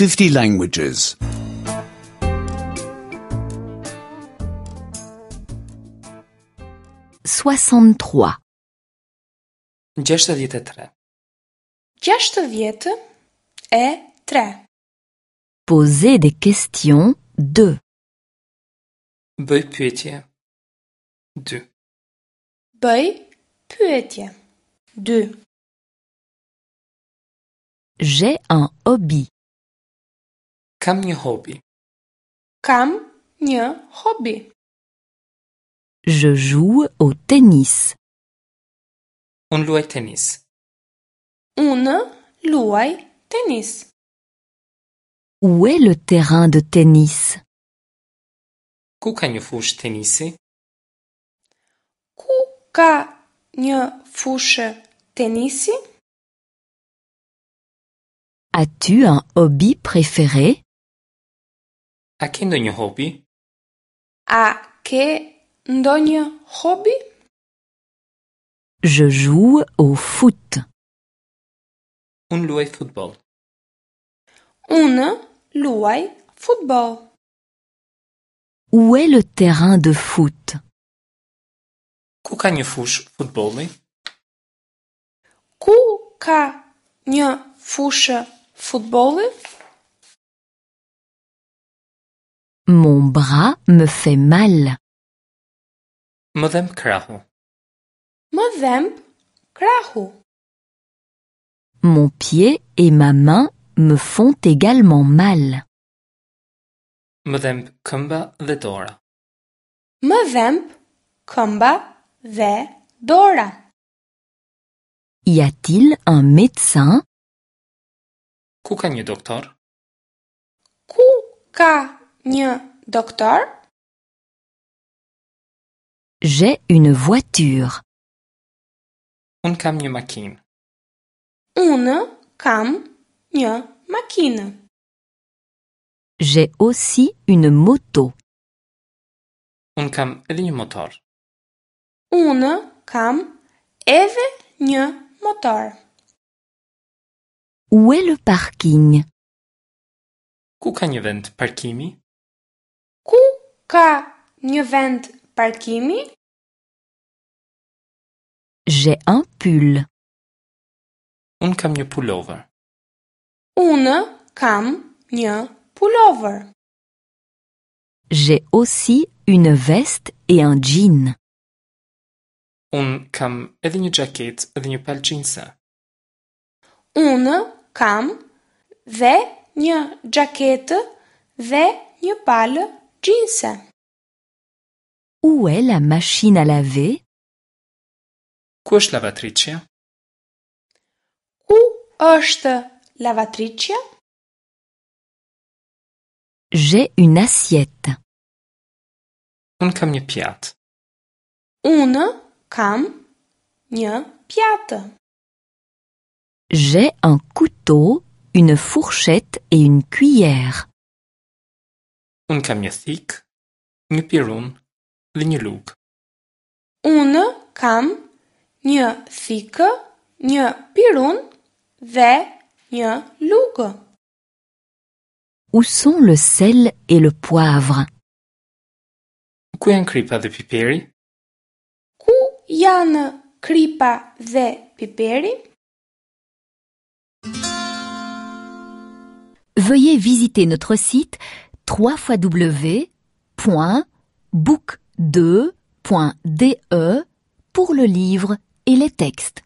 50 languages. 63. 63. 63. Poser des questions 2. Bëj pyetje. 2. Bëj pyetje. 2. J'ai un hobby. Kam një hobi. Kam një hobi. Je joue au tennis. Unë luaj tenis. Unë luaj tenis. Où est le terrain de tennis? Ku ka një fushë tenisi? Ku ka një fushë tenisi? As-tu un hobby préféré? A ke ndonjë hobi? A ke ndonjë hobi? Je joue au foot. Unë luaj futboll. Unë luaj futboll. Où est le terrain de foot? Ku ka një fushë futbolli? Ku ka një fushë futbolli? Mon bras me fait mal. Më dhemb krahu. Më dhemb krahu. Mon pied et ma main me font également mal. Më dhemb këmba dhe dora. Më dhemb këmba dhe dora. Y a-t-il un médecin? Ku ka një doktor? Ku ka një doktor? J'ai une voiture. Unë kam një makinë. Unë kam një makinë. J'ai aussi une moto. Unë kam edhe një motor. Unë kam edhe një motor. Où est le parking? Ku ka një vend parkimi? Ku ka një vend parkimi? J'ai un pull. Unë kam një pullover. Unë kam një pullover. J'ai aussi une veste et un jean. Unë kam edhe një xhaketë dhe një palë xhinse. Unë kam dhe një xhaketë dhe një palë xhinse. Où est la machine à laver? Ku është lavatriçja? Ku është lavatriçja? J'ai une assiette. Unë kam një pjatë. Unë kam një pjatë. J'ai un couteau, une fourchette et une cuillère. Unë kam një thikë, një pirun dhe një lugë. Unë kam një thikë, një pirun dhe një lugë. Où sont le sel et le poivre? Ku janë kripa dhe piperi? Ku janë kripa dhe piperi? Veuillez visiter notre site www.book2.de pour le livre et les textes.